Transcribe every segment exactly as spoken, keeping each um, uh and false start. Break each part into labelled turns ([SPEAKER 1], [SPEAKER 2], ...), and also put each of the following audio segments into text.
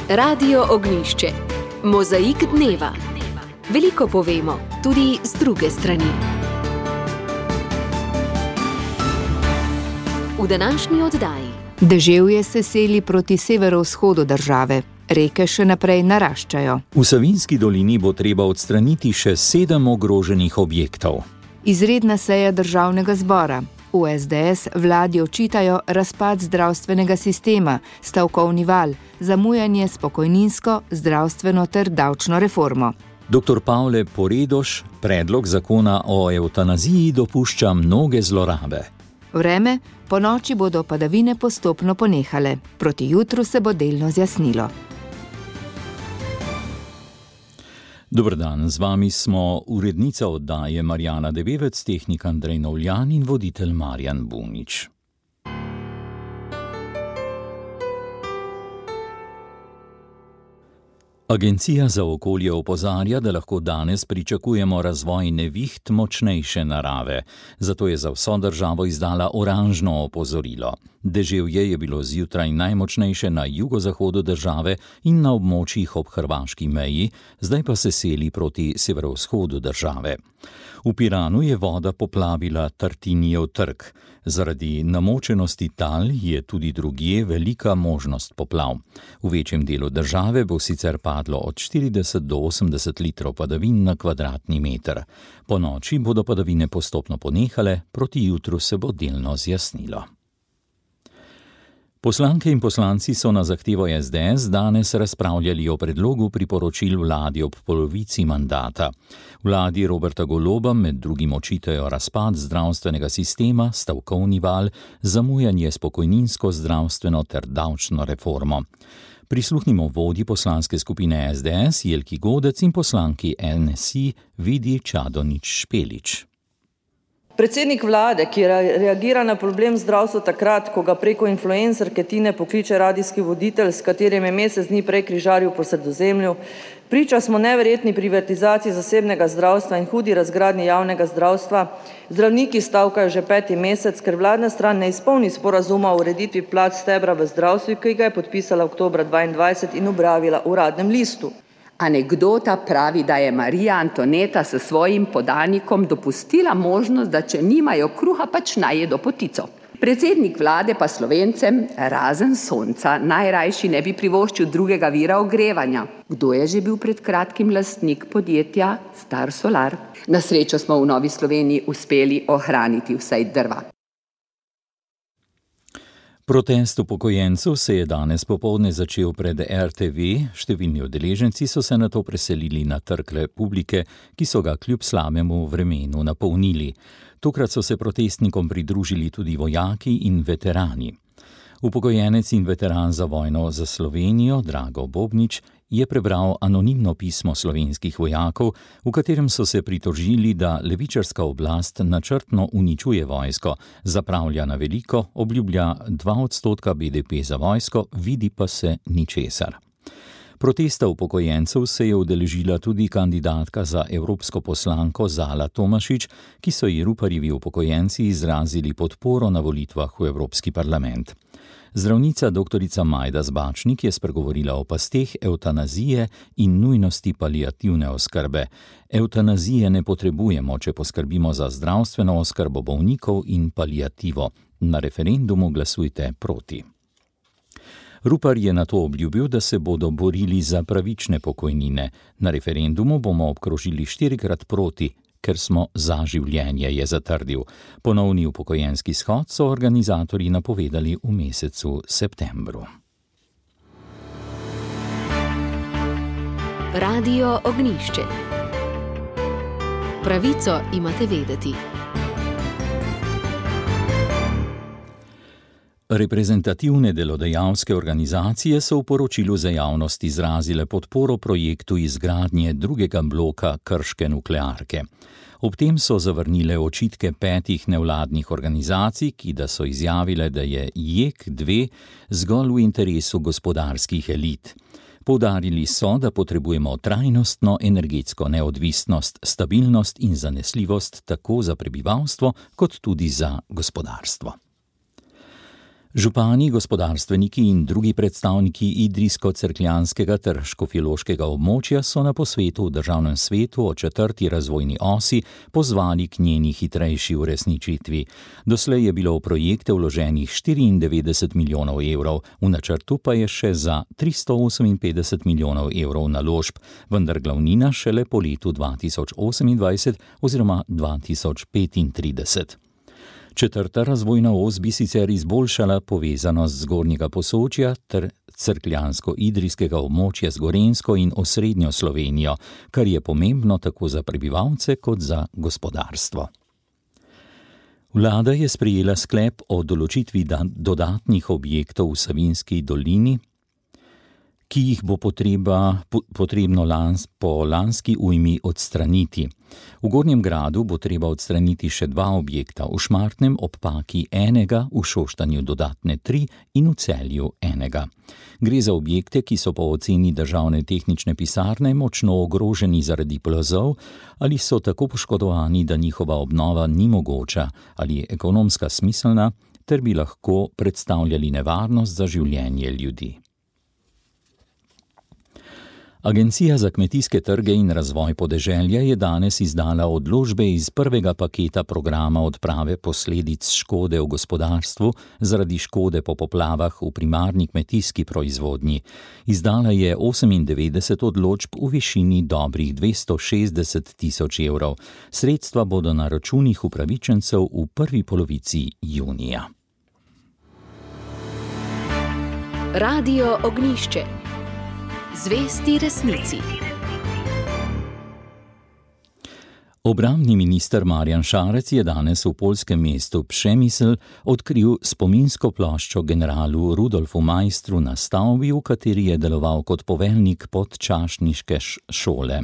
[SPEAKER 1] Radio Ognjišče. Mozaik dneva. Veliko povemo, tudi z druge strani. V današnji oddaji.
[SPEAKER 2] Deževje se seli proti severovzhodu države. Reke še naprej naraščajo.
[SPEAKER 3] V Savinjski dolini bo treba odstraniti še sedem ogroženih objektov.
[SPEAKER 2] Izredna seja državnega zbora. V es de es vladi očitajo razpad zdravstvenega sistema, stavkovni val, zamujanje s pokojninsko, zdravstveno ter davčno reformo.
[SPEAKER 3] Doktor Pavle Poredoš predlog zakona o evtanaziji dopušča mnoge zlorabe.
[SPEAKER 2] Vreme, po noči bodo padavine postopno ponehale. Proti jutru se bo delno zjasnilo.
[SPEAKER 3] Dober dan, z vami smo urednica oddaje Marjana Debevec, tehnik Andrej Novljan in voditelj Marjan Bunič. Agencija za okolje opozarja, da lahko danes pričakujemo razvoj neviht močnejše narave, zato je za vso državo izdala oranžno opozorilo. Deževje je bilo zjutraj najmočnejše na jugozahodu države in na območjih ob hrvaški meji, zdaj pa se seli proti severovzhodu države. V Piranu je voda poplavila Tartinijev trg. Zaradi namočenosti tal je tudi drugje velika možnost poplav. V večjem delu države bo sicer padlo od štirideset do osemdeset litrov padavin na kvadratni meter. Po noči bodo padavine postopno ponehale, proti jutru se bo delno zjasnilo. Poslanke in poslanci so na zahtevo es de es danes razpravljali o predlogu priporočil vladi ob polovici mandata. Vladi Roberta Goloba med drugim očitajo razpad zdravstvenega sistema, stavkovni val, zamujanje s pokojninsko, zdravstveno ter davčno reformo. Prisluhnimo vodji poslanske skupine es de es Jelki Godec in poslanki en es i Vidi Čadonič-Špelič.
[SPEAKER 4] Predsednik vlade, ki reagira na problem zdravstva takrat, ko ga preko influencerke Tine pokliče radijski voditelj, s katerim je mesec dni prej križaril po Sredozemlju, priča smo neverjetni privatizaciji zasebnega zdravstva in hudi razgradnji javnega zdravstva. Zdravniki stavkajo že peti mesec, ker vladna stran ne izpolni sporazuma o ureditvi plač stebra v zdravstvu, ki ga je podpisala oktobra dvaindvajset in objavila v Uradnem listu.
[SPEAKER 5] Anekdota pravi, da je Marija Antoneta s svojim podanikom dopustila možnost, da če nimajo kruha, pač naj jedo potico. Predsednik vlade pa Slovencem, razen sonca, najrajši ne bi privoščil drugega vira ogrevanja. Kdo je že bil pred kratkim lastnik podjetja Star Solar? Na srečo smo v Novi Sloveniji uspeli ohraniti vsaj drva.
[SPEAKER 3] Protest upokojencev se je danes popoldne začel pred er te ve, številni udeleženci so se nato preselili na Trg Republike, ki so ga kljub slabemu vremenu napolnili. Tokrat so se protestnikom pridružili tudi vojaki in veterani. Upokojenec in veteran za vojno za Slovenijo, Drago Bobnič, je prebral anonimno pismo slovenskih vojakov, v katerem so se pritožili, da levičarska oblast načrtno uničuje vojsko, zapravlja na veliko, obljublja dva odstotka be de pe za vojsko, vidi pa se ničesar. Protesta upokojencev se je udeležila tudi kandidatka za evropsko poslanko Zala Tomašič, ki so ji Ruparjevi upokojenci izrazili podporo na volitvah v Evropski parlament. Zdravnica doktorica Majda Zbačnik je spregovorila o pasteh evtanazije in nujnosti paliativne oskrbe. Evtanazije ne potrebujemo, če poskrbimo za zdravstveno oskrbo bolnikov in paliativo. Na referendumu glasujte proti. Rupar je nato obljubil, da se bodo borili za pravične pokojnine. Na referendumu bomo obkrožili štirikrat proti, ker smo za življenje, je zatrdil. Ponovni upokojenski shod so organizatorji napovedali v mesecu septembru.
[SPEAKER 1] Radio Ognjišče. Pravico imate vedeti.
[SPEAKER 3] Reprezentativne delodajalske organizacije so v poročilu za javnost izrazile podporo projektu izgradnje drugega bloka krške nuklearke. Ob tem so zavrnile očitke petih nevladnih organizacij, ki da so izjavile, da je je k dve zgolj v interesu gospodarskih elit. Poudarili so, da potrebujemo trajnostno energetsko neodvisnost, stabilnost in zanesljivost tako za prebivalstvo kot tudi za gospodarstvo. Župani, gospodarstveniki in drugi predstavniki idrijsko-cerkljanskega ter škofjeloškega območja so na posvetu v državnem svetu o četrti razvojni osi pozvali k njeni hitrejši uresničitvi. Doslej je bilo v projekte vloženih štiriindevetdeset milijonov evrov, v načrtu pa je še za tristo oseminpetdeset milijonov evrov naložb, vendar glavnina šele po letu dva tisoč osemindvajset oziroma dva tisoč petintrideset. Četrta razvojna os bi sicer izboljšala povezanost Zgornjega Posočja ter cerkljansko-idrijskega območja z Gorenjsko in osrednjo Slovenijo, kar je pomembno tako za prebivalce kot za gospodarstvo. Vlada je sprejela sklep o določitvi dodatnih objektov v Savinjski dolini, ki jih bo potreba, potrebno lans, po lanski ujmi odstraniti. V Gornjem Gradu bo treba odstraniti še dva objekta, v Šmartnem ob Paki enega, v Šoštanju dodatne tri in v Celju enega. Gre za objekte, ki so po oceni državne tehnične pisarne močno ogroženi zaradi plazov ali so tako poškodovani, da njihova obnova ni mogoča ali je ekonomska smiselna, ter bi lahko predstavljali nevarnost za življenje ljudi. Agencija za kmetijske trge in razvoj podeželja je danes izdala odločbe iz prvega paketa programa odprave posledic škode v gospodarstvu zaradi škode po poplavah v primarni kmetijski proizvodnji. Izdala je osemindevetdeset odločb v višini dobrih dvesto šestdeset tisoč evrov. Sredstva bodo na računih upravičencev v prvi polovici junija.
[SPEAKER 1] Radio Ognjišče. Zvesti resnici.
[SPEAKER 3] Obrambni minister Marjan Šarec je danes v poljskem mestu Przemysl odkril spominsko ploščo generalu Rudolfu Maistru na stavbi, v kateri je deloval kot poveljnik podčašniške šole.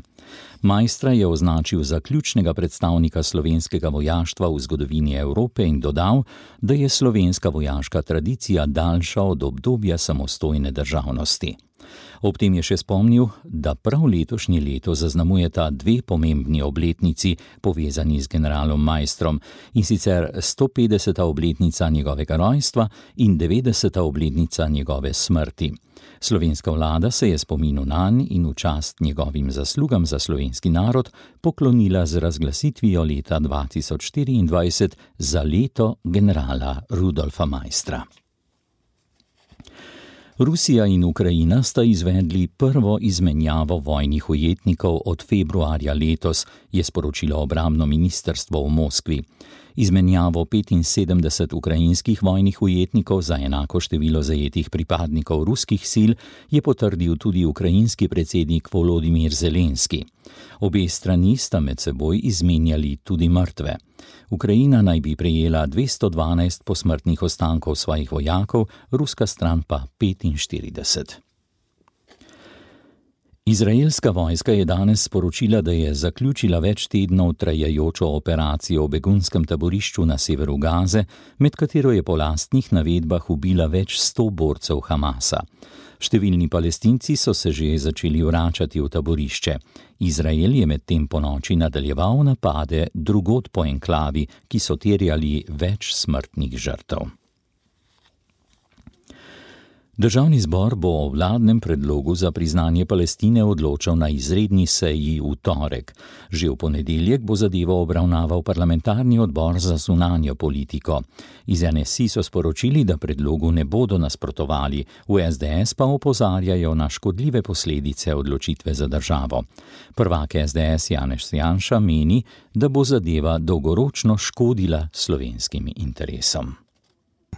[SPEAKER 3] Maistra je označil za ključnega predstavnika slovenskega vojaštva v zgodovini Evrope in dodal, da je slovenska vojaška tradicija daljša od obdobja samostojne državnosti. Ob tem je še spomnil, da prav letošnje leto zaznamujeta dve pomembni obletnici povezani z generalom Maistrom, in sicer stopetdeseta obletnica njegovega rojstva in devetdeseta obletnica njegove smrti. Slovenska vlada se je spominu nanj in v čast njegovim zaslugam za slovenski narod poklonila z razglasitvijo leta dva tisoč štiriindvajset za leto generala Rudolfa Maistra. Rusija in Ukrajina sta izvedli prvo izmenjavo vojnih ujetnikov od februarja letos, je sporočilo obrambno ministrstvo v Moskvi. Izmenjavo petinsedemdeset ukrajinskih vojnih ujetnikov za enako število zajetih pripadnikov ruskih sil je potrdil tudi ukrajinski predsednik Volodimir Zelenski. Obe strani sta med seboj izmenjali tudi mrtve. Ukrajina naj bi prejela dvesto dvanajst posmrtnih ostankov svojih vojakov, ruska stran pa petinštirideset. Izraelska vojska je danes sporočila, da je zaključila več tednov trajajočo operacijo v begunskem taborišču na severu Gaze, med katero je po lastnih navedbah ubila več sto borcev Hamasa. Številni Palestinci so se že začeli vračati v taborišče. Izrael je medtem ponoči nadaljeval napade drugod po enklavi, ki so terjali več smrtnih žrtev. Državni zbor bo o vladnem predlogu za priznanje Palestine odločal na izredni seji v torek. Že v ponedeljek bo zadevo obravnaval parlamentarni odbor za zunanjo politiko. Iz N S I so sporočili, da predlogu ne bodo nasprotovali, v S D S pa opozarjajo na škodljive posledice odločitve za državo. Prvak S D S Janez Janša meni, da bo zadeva dolgoročno škodila slovenskim interesom.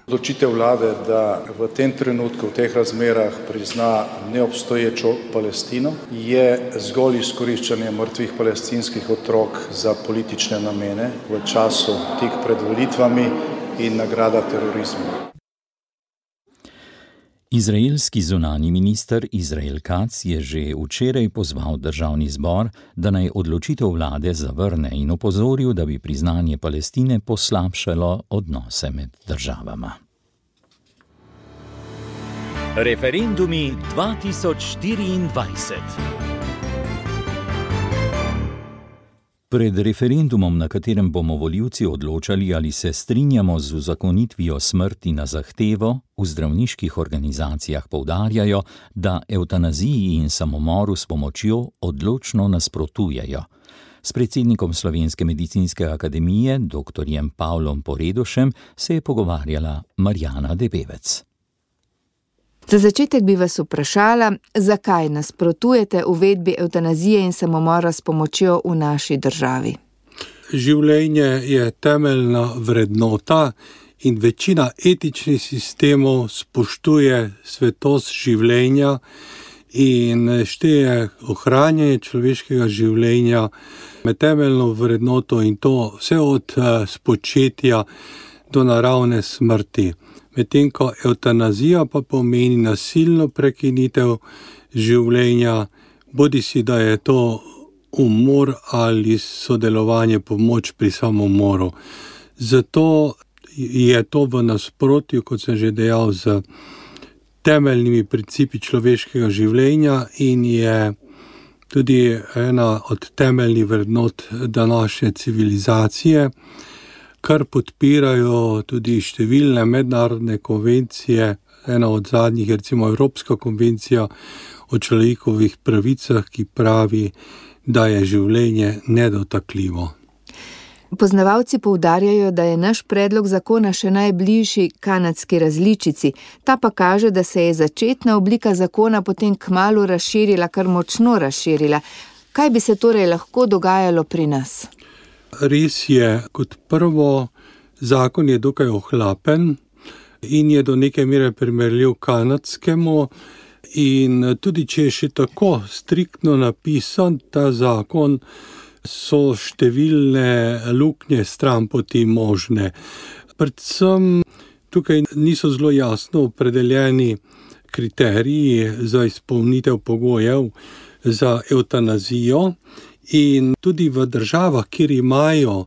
[SPEAKER 6] Odločitev vlade, da v tem trenutku, v teh razmerah prizna neobstoječo Palestino, je zgolj izkoriščanje mrtvih palestinskih otrok za politične namene v času tik pred volitvami in nagrada terorizmu.
[SPEAKER 3] Izraelski zunanji minister Izrael Katz je že včeraj pozval državni zbor, da naj odločitev vlade zavrne in opozoril, da bi priznanje Palestine poslabšalo odnose med državama.
[SPEAKER 7] Referendumi dva tisoč štiriindvajset.
[SPEAKER 3] Pred referendumom, na katerem bomo volivci odločali, ali se strinjamo z uzakonitvijo smrti na zahtevo, v zdravniških organizacijah poudarjajo, da evtanaziji in samomoru s pomočjo odločno nasprotujejo. S predsednikom Slovenske medicinske akademije, doktorjem Pavlom Poredošem, se je pogovarjala Marjana Debevec.
[SPEAKER 2] Za začetek bi vas vprašala, zakaj nasprotujete uvedbi evtanazije in samomora s pomočjo v naši državi?
[SPEAKER 8] Življenje je temeljna vrednota in večina etičnih sistemov spoštuje svetost življenja in šteje ohranjanje človeškega življenja med temeljno vrednoto in to vse od spočetja do naravne smrti. Medtem ko evtanazija pa pomeni nasilno prekinitev življenja, bodisi da je to umor ali sodelovanje, pomoč pri samomoru. Zato je to v nasprotju, kot sem že dejal, z temeljnimi principi človeškega življenja in je tudi ena od temeljnih vrednot današnje civilizacije, kar podpirajo tudi številne mednarodne konvencije, ena od zadnjih je recimo Evropska konvencija o človekovih pravicah, ki pravi, da je življenje nedotakljivo.
[SPEAKER 2] Poznavalci poudarjajo, da je naš predlog zakona še najbližji kanadski različici, ta pa kaže, da se je začetna oblika zakona potem kmalu razširila, kar močno razširila. Kaj bi se torej lahko dogajalo pri nas?
[SPEAKER 8] Res je, kot prvo, zakon je dokaj ohlapen in je do neke mere primerljiv kanadskemu in tudi če je še tako striktno napisan ta zakon, so številne luknje stranpoti možne. Predvsem tukaj niso zelo jasno opredeljeni kriteriji za izpolnitev pogojev za evtanazijo in tudi v državah, kjer imajo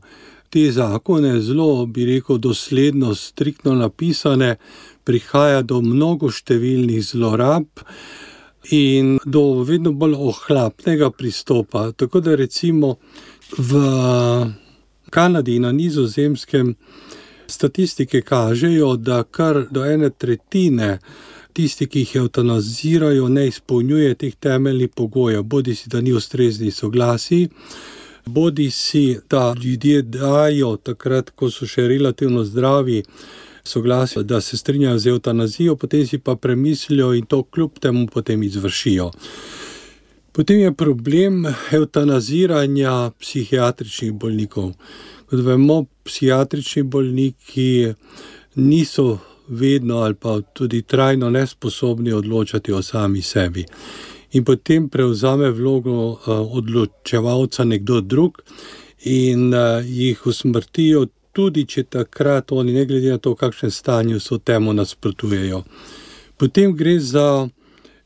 [SPEAKER 8] te zakone zelo, bi rekel, dosledno, striktno napisane, prihaja do mnogo številnih zlorab in do vedno bolj ohlapnega pristopa. Tako da recimo v Kanadi in na Nizozemskem statistike kažejo, da kar do ene tretjine tisti, ki jih evtanazirajo, ne izpolnjuje teh temeljnih pogojev, bodi si, da ni ustreznih soglasij, bodi si, da ljudje dajo takrat, ko so še relativno zdravi, soglasje, da se strinjajo z evtanazijo, potem si pa premislijo in to kljub temu potem izvršijo. Potem je problem evtanaziranja psihiatričnih bolnikov. Kot vemo, psihiatrični bolniki niso vedno ali pa tudi trajno nesposobni odločati o sami sebi. In potem prevzame vlogo odločevalca nekdo drug in jih usmrtijo, tudi če takrat oni, ne glede na to, v kakšnem stanju so, temu nasprotujejo. Potem gre za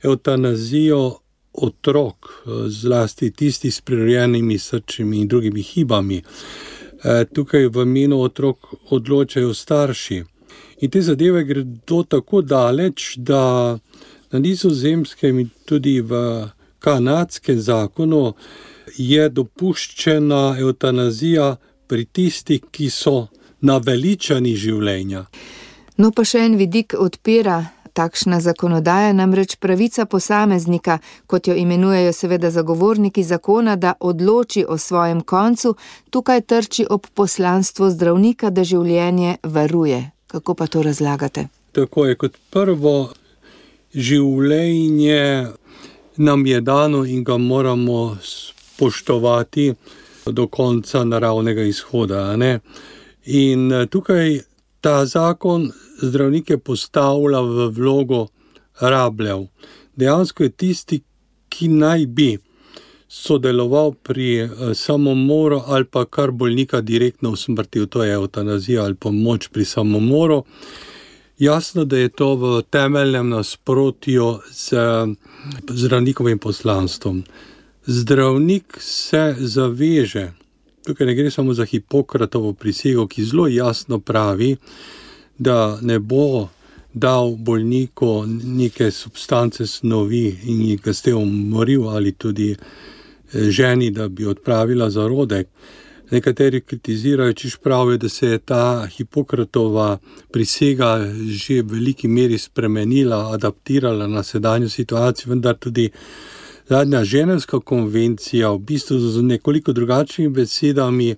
[SPEAKER 8] evtanazijo otrok, zlasti tisti s prirojenimi srčnimi in drugimi hibami. Tukaj v imenu otrok odločajo starši. In te zadeve gredo tako daleč, da na Nizozemskem in tudi v kanadskem zakonu je dopuščena evtanazija pri tistih, ki so naveličani življenja.
[SPEAKER 2] No pa še en vidik odpira takšna zakonodaja, namreč pravica posameznika, kot jo imenujejo seveda zagovorniki zakona, da odloči o svojem koncu, tukaj trči ob poslanstvo zdravnika, da življenje varuje. Kako pa to razlagate?
[SPEAKER 8] Tako je, kot prvo, življenje nam je dano in ga moramo spoštovati do konca naravnega izhoda, ne? In tukaj ta zakon zdravnike postavlja v vlogo rabljev. Dejansko je tisti, ki naj bi sodeloval pri samomoru ali pa kar bolnika direktno usmrtil, to je evtanazija ali pomoč pri samomoru. Jasno, da je to v temeljnem nasprotju z zdravnikovim poslanstvom. Zdravnik se zaveže, tukaj ne gre samo za Hipokratovo prisego, ki zelo jasno pravi, da ne bo dal bolniku neke substance snovi in jih ga s tem umoril ali tudi ženi, da bi odpravila zarodek. Nekateri kritizirajo, češ pravijo, da se je ta Hipokratova prisega že v veliki meri spremenila, adaptirala na sedanjo situacijo, vendar tudi zadnja ženevska konvencija v bistvu z nekoliko drugačnimi besedami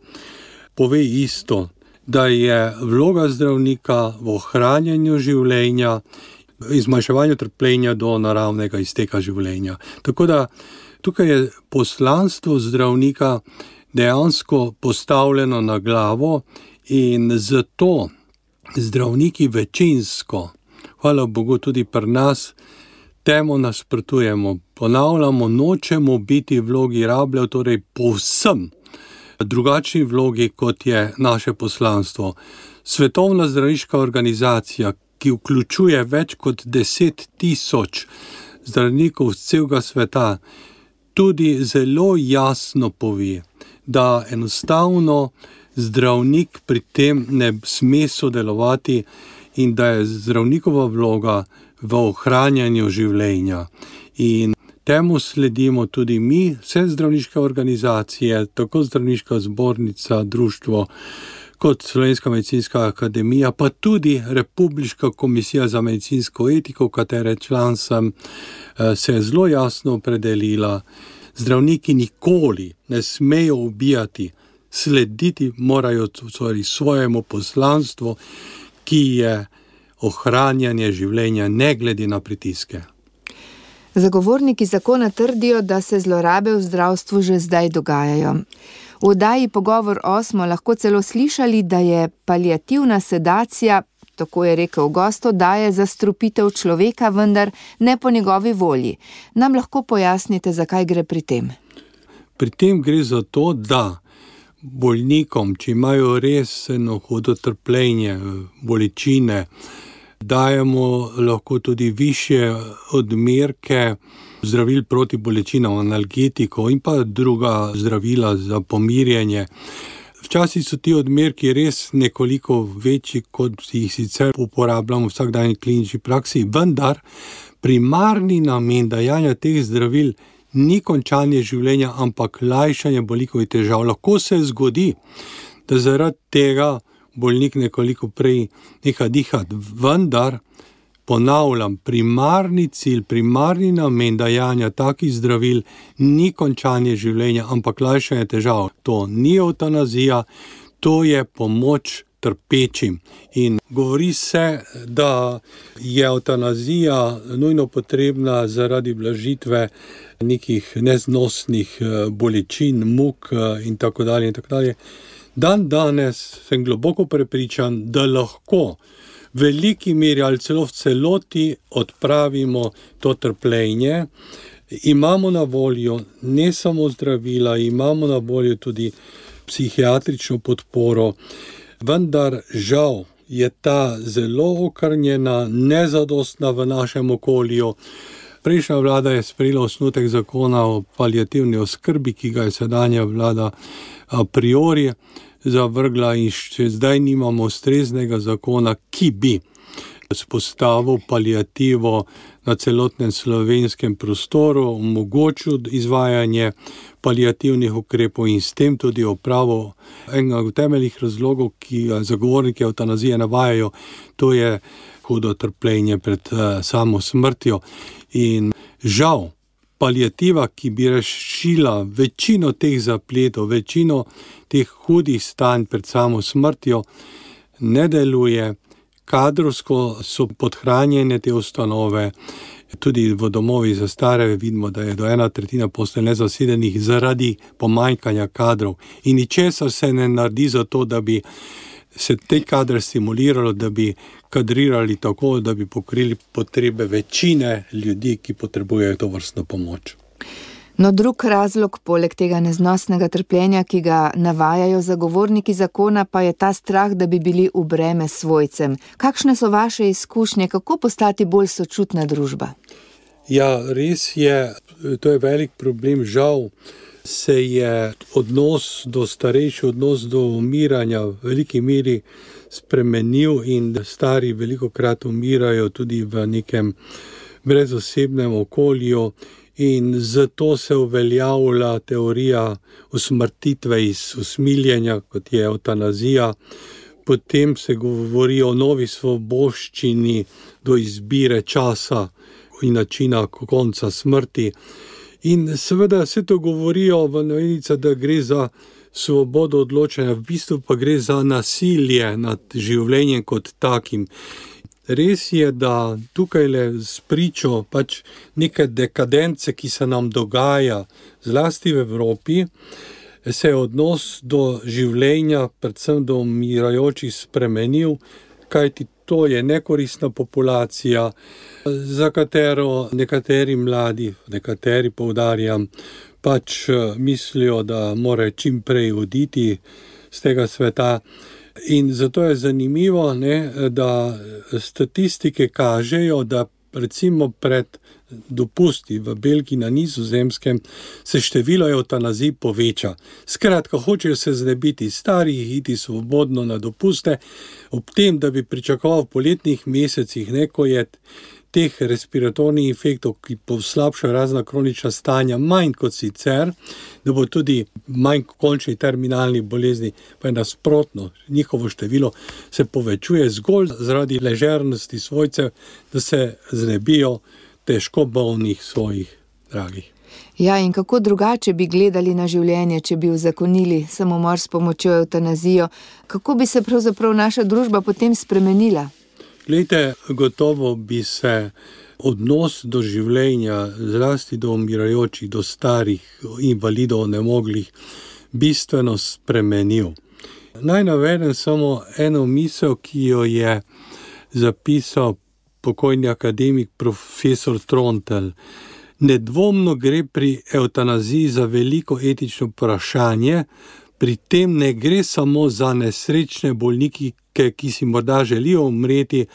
[SPEAKER 8] pove isto, da je vloga zdravnika v ohranjanju življenja, zmanjševanju trpljenja do naravnega izteka življenja. Tako da tukaj je poslanstvo zdravnika dejansko postavljeno na glavo in zato zdravniki večinsko, hvala Bogu tudi pri nas, temu nasprotujemo. Ponavljamo, nočemo biti v vlogi rabljev, torej povsem drugačni vlogi, kot je naše poslanstvo. Svetovna zdravniška organizacija, ki vključuje več kot deset tisoč zdravnikov z celega sveta, tudi zelo jasno pove, da enostavno zdravnik pri tem ne sme sodelovati in da je zdravnikova vloga v ohranjanju življenja. In temu sledimo tudi mi, vse zdravniške organizacije, tako zdravniška zbornica, društvo, kot Slovenska medicinska akademija, pa tudi Republiška komisija za medicinsko etiko, katere član sem, se je zelo jasno opredelila. Zdravniki nikoli ne smejo ubijati, slediti morajo svojemu poslanstvu, ki je ohranjanje življenja ne glede na pritiske.
[SPEAKER 2] Zagovorniki zakona trdijo, da se zlorabe v zdravstvu že zdaj dogajajo. V oddaji Pogovor o smo lahko celo slišali, da je paliativna sedacija, tako je rekel gost, daje zastrupitev človeka, vendar ne po njegovi volji. Nam lahko pojasnite, zakaj gre pri tem?
[SPEAKER 8] Pri tem gre za to, da bolnikom, če imajo res eno hudo trpljenje, bolečine, dajemo lahko tudi višje odmerke zdravil proti bolečinam, analgetikov in pa druga zdravila za pomirjanje. Včasih so ti odmerki res nekoliko večji, kot jih sicer uporabljamo v vsakdanji klinični praksi, vendar primarni namen dajanja teh zdravil ni končanje življenja, ampak lajšanje bolnikovih težav. Lahko se zgodi, da zaradi tega bolnik nekoliko prej neha dihati, vendar ponavljam, primarni cilj, primarni namen dajanja takih zdravil ni končanje življenja, ampak lajšanje težav. To ni eutanazija, to je pomoč trpečim. In govori se, da je eutanazija nujno potrebna zaradi blažitve nekih neznosnih bolečin, muk in tako dalje in tako dalje. Dan danes sem globoko prepričan, da lahko v veliki meri ali celo v celoti odpravimo to trpljenje. Imamo na voljo ne samo zdravila, imamo na voljo tudi psihiatrično podporo, vendar žal je ta zelo okrnjena, nezadostna v našem okolju. Prejšnja vlada je sprejela osnutek zakona o paliativni oskrbi, ki ga je sedanja vlada a priori zavrgla in še zdaj nimamo ustreznega zakona, ki bi vzpostavil paliativo na celotnem slovenskem prostoru, omogočil izvajanje paliativnih ukrepov in s tem tudi opravil enega od temeljnih razlogov, ki zagovorniki evtanazije navajajo, to je hudo trpljenje pred uh, samo smrtjo. In žal, paliativa, ki bi rešila večino teh zapletov, večino teh hudih stanj pred samo smrtjo, ne deluje. Kadrovsko so podhranjene te ustanove, tudi v domovih za stare vidimo, da je do ena tretjina postelj nezasedenih zaradi pomanjkanja kadrov. In ničesar se ne naredi za to, da bi se te kadre stimuliralo, da bi kadrirali tako, da bi pokrili potrebe večine ljudi, ki potrebujejo to vrstno pomoč.
[SPEAKER 2] No, drug razlog, poleg tega neznosnega trpljenja, ki ga navajajo zagovorniki zakona, pa je ta strah, da bi bili v breme svojcem. Kakšne so vaše izkušnje, kako postati bolj sočutna družba?
[SPEAKER 8] Ja, res je, to je velik problem, žal se je odnos do starejših, odnos do umiranja v veliki meri spremenil in stari velikokrat umirajo tudi v nekem brezosebnem okolju in zato se uveljavlja teorija usmrtitve iz usmiljenja, kot je evtanazija. Potem se govori o novi svoboščini do izbire časa in načina konca smrti. In seveda se to govorijo v navednicah, da gre za svobodo odločanja, v bistvu pa gre za nasilje nad življenjem kot takim. Res je, da tukaj le spričo pač neke dekadence, ki se nam dogaja, zlasti v Evropi, se je odnos do življenja, predvsem do umirajočih, spremenil, kajti to je nekoristna populacija, za katero nekateri mladi, nekateri poudarjam, pač mislijo, da mora čim prej oditi z tega sveta. In zato je zanimivo, ne, da statistike kažejo, da recimo pred dopusti v Belgiji na Nizozemskem se število evtanazij poveča. Skratka, hočejo se znebiti starih, iti svobodno na dopuste, ob tem, da bi pričakoval v poletnih mesecih, ne, ko je teh respiratornih infektov, ki poslabšajo razna kronična stanja, manj kot sicer, da bo tudi manj končnih terminalnih bolezni, pa je nasprotno, njihovo število se povečuje zgolj zaradi ležernosti svojcev, da se znebijo težko bolnih svojih dragih.
[SPEAKER 2] Ja, in kako drugače bi gledali na življenje, če bi uzakonili samomor s pomočjo evtanazijo? Kako bi se pravzaprav naša družba potem spremenila?
[SPEAKER 8] Glejte, gotovo bi se odnos do življenja, zlasti do umirajočih, do starih, invalidov, nemoglih, bistveno spremenil. Naj navedem samo eno misel, ki jo je zapisal pokojni akademik profesor Trontelj. Nedvomno gre pri evtanaziji za veliko etično vprašanje, pri tem ne gre samo za nesrečne bolniki, ki si morda želijo umreti,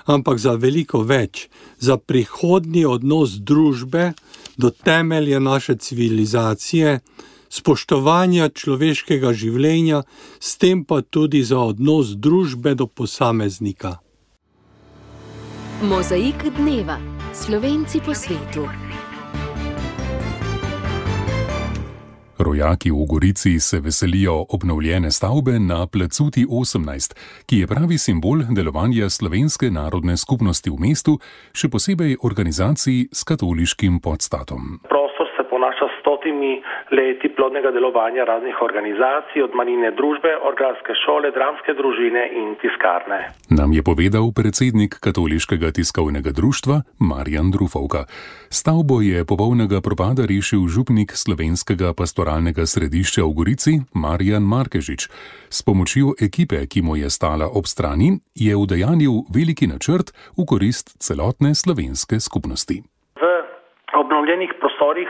[SPEAKER 8] ampak za veliko več, za prihodnji odnos družbe do temelja naše civilizacije, spoštovanja človeškega življenja, s tem pa tudi za odnos družbe do posameznika.
[SPEAKER 1] Mozaik dneva. Slovenci po svetu.
[SPEAKER 9] Rojaki v Gorici se veselijo obnovljene stavbe na Placuti osemnajst, ki je pravi simbol delovanja slovenske narodne skupnosti v mestu, še posebej organizacij s katoliškim podstatom.
[SPEAKER 10] Prostor se ponaša s stotimi leti plodnega delovanja raznih organizacij, od manjine družbe, organske šole, dramske družine in tiskarne.
[SPEAKER 9] Nam je povedal predsednik Katoliškega tiskovnega društva Marjan Drufovka. Stavbo je popolnega propada rešil župnik slovenskega pastoralnega središča v Gorici Marjan Markežič. S pomočjo ekipe, ki mu je stala ob strani, je udejanil veliki načrt v korist celotne slovenske skupnosti.
[SPEAKER 10] V obnovljenih prostorih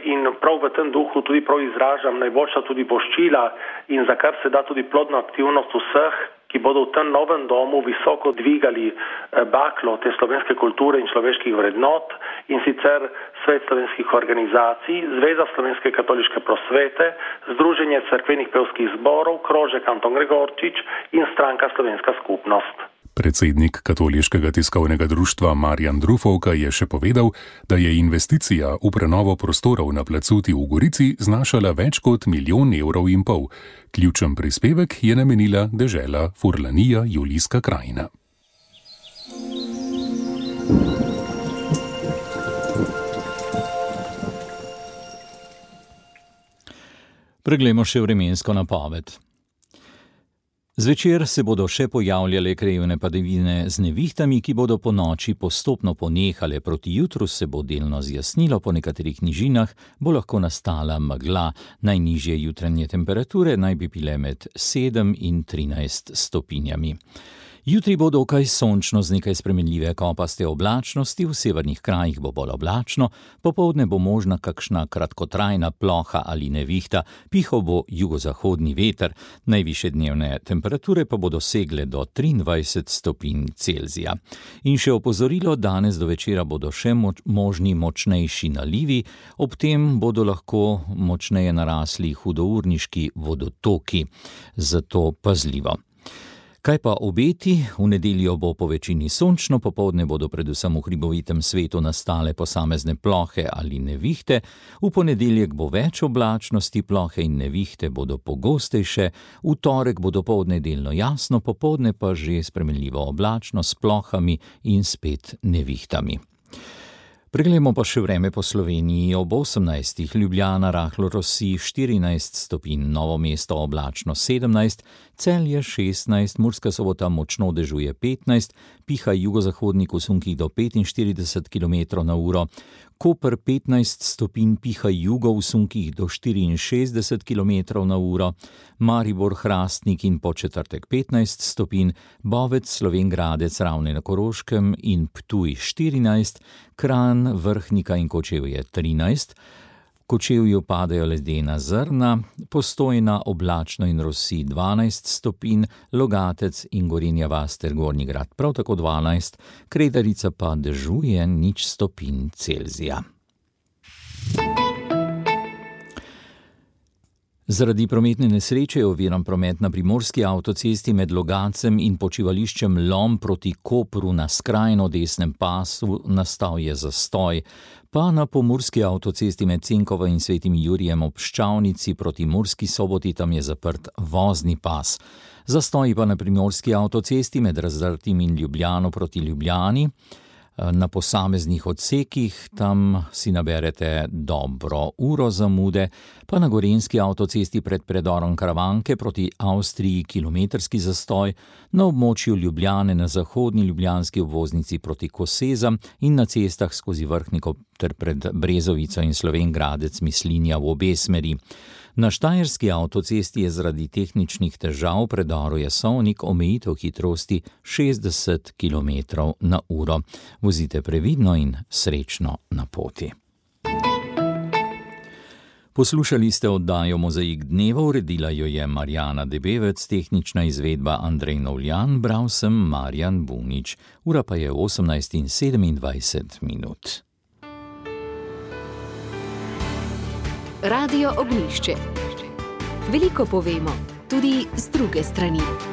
[SPEAKER 10] in prav v tem duhu tudi prav izražam najboljša tudi voščila in za kar se da tudi plodna aktivnost vseh, ki bodo v tem novem domu visoko dvigali baklo te slovenske kulture in človeških vrednot, in sicer Svet slovenskih organizacij, Zveza slovenske katoliške prosvete, Združenje cerkvenih pevskih zborov, Krožek Anton Gregorčič in Stranka Slovenska skupnost.
[SPEAKER 9] Predsednik Katoliškega tiskovnega društva Marjan Drufovka je še povedal, da je investicija v prenovo prostorov na Placuti v Gorici znašala več kot milijon evrov in pol. Ključen prispevek je namenila dežela Furlanija Julijska krajina.
[SPEAKER 3] Preglejmo še vremensko napoved. Zvečer se bodo še pojavljale krajevne padavine z nevihtami, ki bodo po noči postopno ponehale. Proti jutru se bo delno zjasnilo, po nekaterih nižinah bo lahko nastala megla. Najnižje jutranje temperature naj bi bile med sedem in trinajst stopinjami. Jutri bo dokaj sončno z nekaj spremenljive kopaste oblačnosti, v severnih krajih bo bolj oblačno, popoldne bo možna kakšna kratkotrajna ploha ali nevihta, pihal bo jugozahodni veter, najvišje dnevne temperature pa bodo segle do triindvajset stopinj Celzija. In še opozorilo, danes do večera bodo še moč, možni močnejši nalivi, ob tem bodo lahko močneje narasli hudourniški vodotoki, zato pazljivo. Kaj pa obeti? V nedeljo bo po večini sončno, popoldne bodo predvsem v hribovitem svetu nastale posamezne plohe ali nevihte, v ponedeljek bo več oblačnosti, plohe in nevihte bodo pogostejše, v torek bo dopoldne delno jasno, popoldne pa že spremenljivo oblačno s plohami in spet nevihtami. Preglejmo pa še vreme po Sloveniji. Ob osemnajstih Ljubljana rahlo rosi štirinajst stopinj, Novo mesto oblačno sedemnajst, Celje šestnajst, Murska Sobota močno dežuje petnajst, piha jugozahodnik v sunkih do petinštirideset kilometrov na uro, Koper petnajst stopinj, piha jugo v sunkih do štiriinšestdeset kilometrov na uro, Maribor, Hrastnik in Podčetrtek petnajst stopinj, Bovec, Slovenj Gradec, Ravne na Koroškem in Ptuj štirinajst, Kranj, Vrhnika in Kočevje trinajst, v Kočevju padajo ledena zrna, Postojna oblačno in rosi dvanajst stopinj, Logatec in Gorenja vas ter Gornji Grad prav tako dvanajst, Kredarica pa dežuje nič stopinj Celzija. Zaradi prometne nesreče je oviran promet na primorski avtocesti med Logatcem in počivališčem Lom proti Kopru na skrajno desnem pasu, nastal je zastoj, pa na pomurski avtocesti med Cenkovo in Svetim Jurijem ob Ščavnici proti Murski Soboti tam je zaprt vozni pas. Zastoji pa na primorski avtocesti med Razdrtim in Ljubljano proti Ljubljani. Na posameznih odsekih tam si naberete dobro uro zamude, pa na gorenjski avtocesti pred predorom Karavanke proti Avstriji kilometrski zastoj, na območju Ljubljane na zahodni ljubljanski obvoznici proti Kosezam in na cestah skozi Vrhniko ter pred Brezovico in Slovenj Gradec Mislinja v obe smeri. Na štajerski avtocesti je zaradi tehničnih težav predoru Jasovnik omejitev hitrosti šestdeset kilometrov na uro. Vozite previdno in srečno na poti. Poslušali ste oddajo Mozaik dneva, uredila jo je Marjana Debevec, tehnična izvedba Andrej Novljan, bral sem Marjan Bunič. Ura pa je osemnajst in sedemindvajset minut.
[SPEAKER 1] Radio Ognjišče. Veliko povemo, tudi z druge strani.